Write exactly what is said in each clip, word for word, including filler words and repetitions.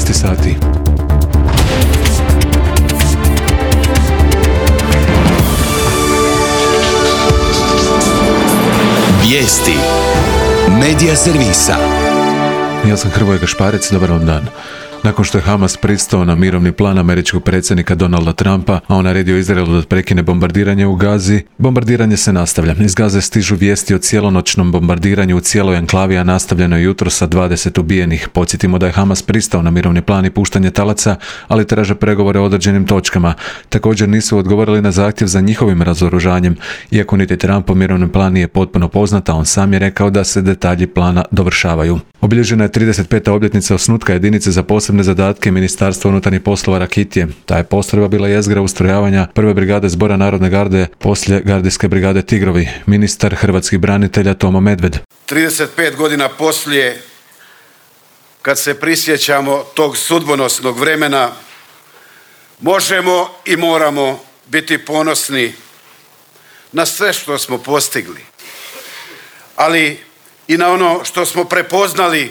šesnaest sati. Vijesti Medija servisa. Ja sam Hrvoje Gašparec, dobar vam dan. Nakon što je Hamas pristao na mirovni plan američkog predsjednika Donalda Trumpa, a on naredio Izraelu da prekine bombardiranje u Gazi, bombardiranje se nastavlja. Iz Gaze stižu vijesti o cijelonoćnom bombardiranju u cijeloj enklavi, a nastavljeno je jutro sa dvadeset ubijenih. Podsjetimo da je Hamas pristao na mirovni plan i puštanje talaca, ali traže pregovore o određenim točkama. Također nisu odgovorili na zahtjev za njihovim razoružanjem, iako niti Trumpov mirovni plan nije potpuno poznat, a on sam je rekao da se detalji plana dovršavaju. Obilježena je trideset peta obljetnica osnutka jedinice za posebne zadatke Ministarstva unutarnjih poslova Rakitije. Ta je postrojba bila jezgra ustrojavanja prve brigade Zbora Narodne garde poslije gardijske brigade Tigrovi. Ministar hrvatskih branitelja Tomo Medved. trideset pet godina poslije, kad se prisjećamo tog sudbonosnog vremena, možemo i moramo biti ponosni na sve što smo postigli, ali i na ono što smo prepoznali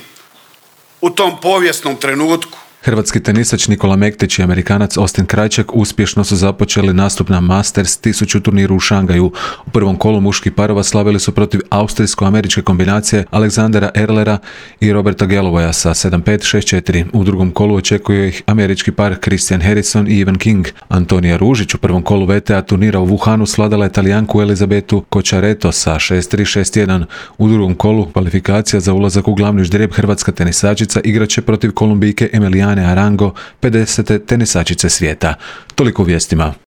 u tom povijesnom trenutku. Hrvatski tenisač Nikola Mektić i Amerikanac Austin Krajčak uspješno su započeli nastup na Masters tisuću turniru u Šangaju. U prvom kolu muških parova slavili su protiv austrijsko-američke kombinacije Aleksandera Erlera i Roberta Gallowania sa sedam pet šest četiri. U drugom kolu očekuje ih američki par Christian Harrison i Ivan King. Antonija Ružić u prvom kolu V T A turnira u Wuhanu svladala je Talijanku Elizabetu Kočareto sa šest tri šest jedan. U drugom kolu kvalifikacija za ulazak u glavni ždrijeb hrvatska tenisačica igraće protiv Kolumbijke Emiliane Arango, pedesete tenisačice svijeta. Toliko u vijestima.